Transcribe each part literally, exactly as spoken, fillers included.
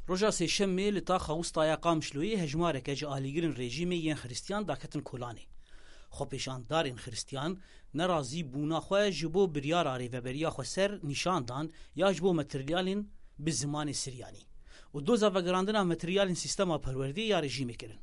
Roja Sêşemê li taxa Wistaya Qamişloyê hejmareke ji alîgirên rejîmê yên Xiristiyan daketin kolanê. Xwepêşandarên Xiristiyan nerazîbûna xwe ji bo biryara Rêveberiya Xweser nîşan dan ya ji bo materyalên bi zimanê Siryanî û doza vegerandina materyalên sîstema perwerdeyê ya rejîmê kirin.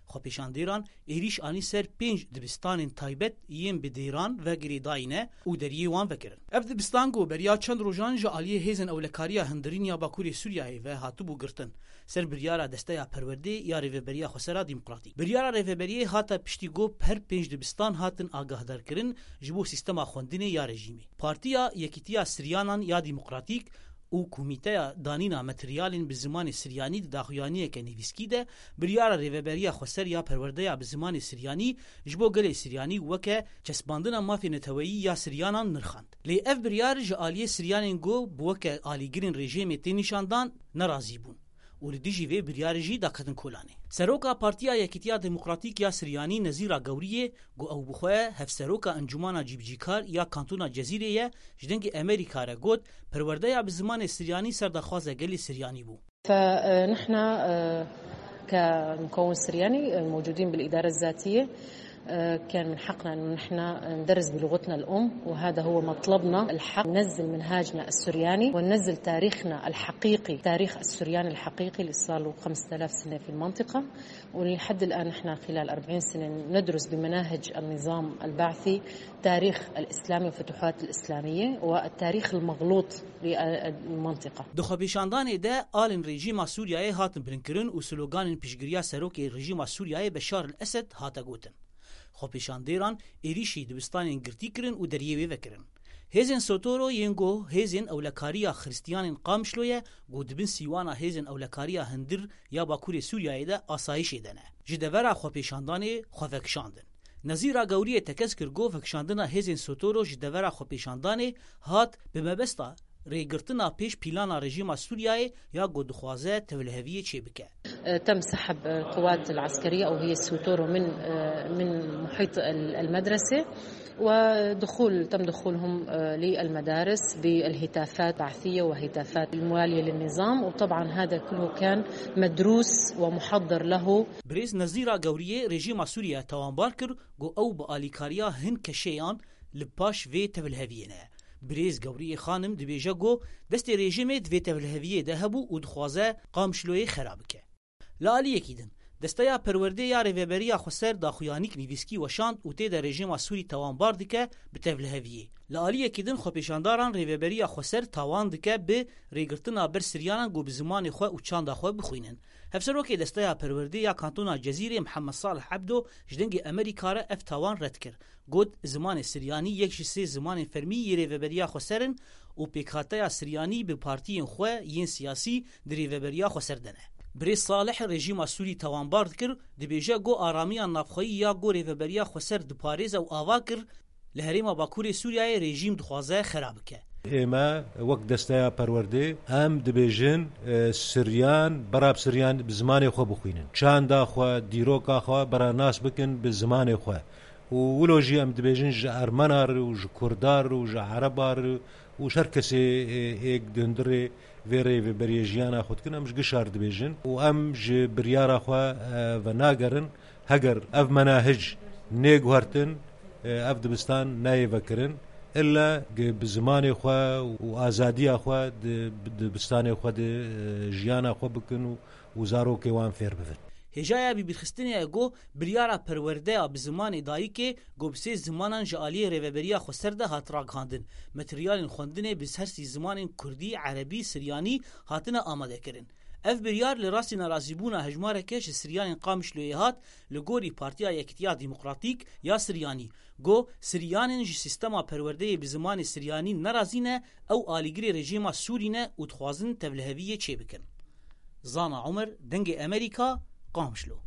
Xwepêşandêran êrîş anî ser pênc dibistanên taybet yên bi dêran ve girêdayî ne û deriyê wan vekirin. Ev dibistan ku beriya çend rojan ji aliyê hêzên ewlekariya hundirîn ya Bakurê Sûriyeyê ve hatibû girtin, ser biryara Desteya Perwerdê ya Rêveberiya Xwesera Demokratîk. Biryara Rêveberiyê hate piştî ku her pênc dibistan hatin agahdarkirin ji bo sîstema xwendinê ya rejîmê. Partiya Yekîtiya Siryanan ya Demokratîk û Komîteya Danîna Materyalên bi Zimanê Siryanî di daxuyaniyeke nivîskî de biryara Rêveberiya Xweser ya Perwerdeya bi Zimanê Siryanî ji bo gelê Siryanî weke çespandina mafê neteweyî ya Siryanan nirxand. Lê ev biryar ji aliyê Siryanên ku bi weke alîgirên rejîmê tê nîşandan nerazî bûn û li dijî vê biryarê jî daketin kolanê. Seroka Partiya Yekîtiya Demokratîk ya Siryanî Nezîra Gewriyê, ku ew bi xwe hevseroka Encûmana Cîbicîkar ya Kantona Cezîrê ye, ji Dengê Amerîka re got, perwerdeya bi zimanê Siryanî ser daxwaza gelê Siryanî bû. فنحن، آه، كمكون سرياني، آه، موجودين بالإدارة الذاتية. آه، كان من حقنا إنه نحن ندرس بلغتنا الأم، وهذا هو مطلبنا الحق، ننزل منهاجنا السرياني وننزل تاريخنا الحقيقي، تاريخ السريان الحقيقي اللي صار له خمسة آلاف سنة في المنطقة. ولحد الآن نحن خلال أربعين سنة ندرس بمناهج النظام البعثي تاريخ الإسلام والفتوحات الإسلامية والتاريخ المغلوط للمنطقة. Di xwepêşandanê de alên rejîma Sûriyeyê hatin bilinkirin û sloganên piştgiriya serokê rejîma Sûriyeyê Beşar el Esed hate gotin. Xwepêşandêran êrîşî dibistanên girtî kirin û deriyê wê vekirin. Hêzên Sotoro yên ku hêzên ewlekariya Xiristiyanên Qamişloyê, ku dibin sîwana hêzên ewlekariya hundir ya Bakurê Sûriyeyê de asayişê de ne, ji devera xwepêşandanê xwe vekişandin. Nezîra Gewriyê tekez kir ku vekişandina hêzên Sotoro ji devera xwepêşandanê hat bi mebesta rêgirtina pêş pîlana rejîma Sûriyeyê ya ku dixwaze tevliheviyê çêbike. تم سحب القوات العسكرية أو هي السوتورو من، من محيط المدرسة، ودخول، تم دخولهم للمدارس بالهتافات بعثية وهتافات الموالية للنظام، وطبعا هذا كله كان مدروس ومحضر له. Birêz Nezîra Gewriyê rejîma Sûriye tawanbar kir ku ew bi alîkariya hin keşeyan li paş vê tevliheviyê ne. Birêz Gewriyê Xanim dibêje ku destê rejîmê di vê tevliheviyê de hebû û dixwaze Qamişloyê xera bike. Li aliyekî din, Desteya Perwerdê ya Rêveberiya Xweser daxuyanîk nivîskî weşand û tê de rejîma Sûrî tawanbar dike bi tevliheviyê. Li aliyekî din, xwepêşandaran Rêveberiya Xweser tawan dike bi rêgirtina ber Siryanan ku bi zimanê xwe û çanda xwe bixwînin. Hevserokê Desteya Perwerdê ya Kantona Cezîrê Mihemed Salih Ebdo ji Dengê Amerîka re ev tawan red kir. Got, zimanê Siryanî yek ji sê zimanên fermî yê Rêveberiya Xweser in û pêkhateya Siryanî bi partiyên xwe yên siyasî di Rêveberiya Xweser de ne. Birêz Salih rejîma Sûrî tawanbar dikir, dibêje ku aramiya navxweyî ya ku Rêveberiya Xweser diparêze û ava kir, li herêma Bakurê Sûriyeyê rejîm dixwaze xera bike. ئێمە وەک دەستەیا پەروەردەی، ئەم دەبێژن، ئە، سریان، بەراب سریان زمانێ خۆ بخوینن. چاندا خۆ، دیرۆکا خۆ، بەرا ناس بکن بە زمانێ خۆ. و ولۆژی ئەم دەبێژن ژە ئەرمەنا ڕ و ژە کوردا ڕ و ژە عەرەبا ڕ و ژە هەر کەسێ، ئێ، ئێک دندڕێ vê rêveberiyê jiyana xwe dikin, em ji gişar dibêjin û em ji biryara xwe, e, venagrin. Heger ev menahij nê guhertin, e, ev dibistan nayê vekirin. Illa gi bi zimanê xwe û azadiya xwe di, di dibistanê xwe de, e, jiyana xwe bikin û, û zarokê wan fêr bibin. Hêjaya bibîrxistinê ye ku biryara perwerdeya bi zimanê dayikê, ku bi sê zimanan ji aliyê Rêveberiya Xweser de hat ragihandin, materyalên xwendinê bi her sî zimanên kurdî, erebî, siryanî hatine amadekirin. Ev biryar li rastî nerazîbûna hejmareke ji siryanên Qamişloyê hat, li gorî Partiya Yekîtiya Demokratîk ya Siryanî, ku siryanên ji sîstema perwerdeyê bi zimanê siryanî nerazî ne, ew alîgirê rejîma Sûrî ne û dixwazin tevliheviyê çêbikin. Zana Omer, Dengê Amerîka, Qamişlo.